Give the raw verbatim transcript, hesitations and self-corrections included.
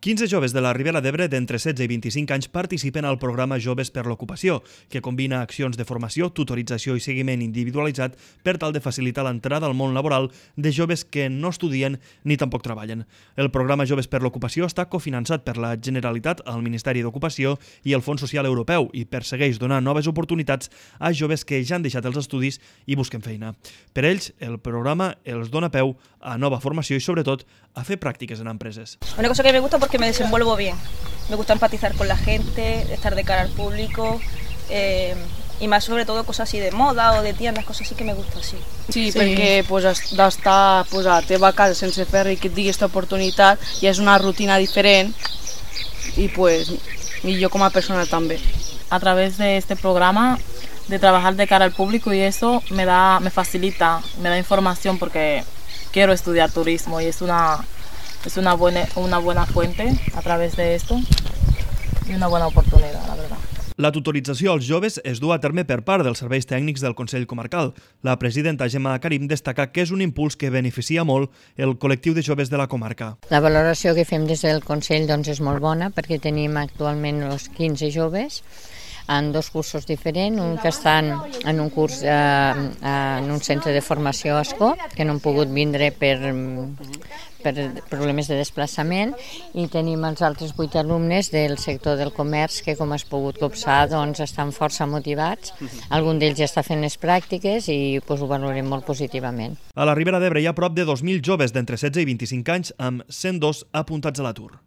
quinze joves de la Ribera d'Ebre d'entre setze i vint-i-cinc anys participen al programa Joves per l'Ocupació, que combina accions de formació, tutorització i seguiment individualitzat per tal de facilitar l'entrada al món laboral de joves que no estudien ni tampoc treballen. El programa Joves per l'Ocupació està cofinançat per la Generalitat, el Ministeri d'Ocupació i el Fons Social Europeu i persegueix donar noves oportunitats a joves que ja han deixat els estudis i busquen feina. Per ells, el programa els dona peu a nova formació i, sobretot, a fer pràctiques en empreses. Una cosa que me gusta porque me desenvuelvo bien. Me gusta empatizar con la gente, estar de cara al público eh, y más sobre todo cosas así de moda o de tiendas, cosas así que me gusta así. Sí, sí. Perquè pues, d'estar pues, a la teva casa sense fer i que et digui aquesta oportunitat ja és una rutina diferent y pues y yo como persona también. A través de este programa de trabajar de cara al público y eso me da, me facilita, me da información porque quiero estudiar turismo y es una, es una buena, una buena fuente a través de esto y una buena oportunidad, la verdad. La tutorització als joves es du a terme per part dels serveis tècnics del Consell Comarcal. La presidenta Gemma Karim destaca que és un impuls que beneficia molt el col·lectiu de joves de la comarca. La valoració que fem des del Consell doncs, és molt bona perquè tenim actualment els quinze joves en dos cursos diferents, un que estan en un curs eh, en un centre de formació a Ascó, que no han pogut vindre per, per problemes de desplaçament, i tenim els altres vuit alumnes del sector del comerç que, com has pogut copsar, doncs, estan força motivats. Algun d'ells ja està fent les pràctiques i doncs, ho valorem molt positivament. A la Ribera d'Ebre hi ha prop de dos mil joves d'entre setze i vint-i-cinc anys amb cent dos apuntats a l'atur.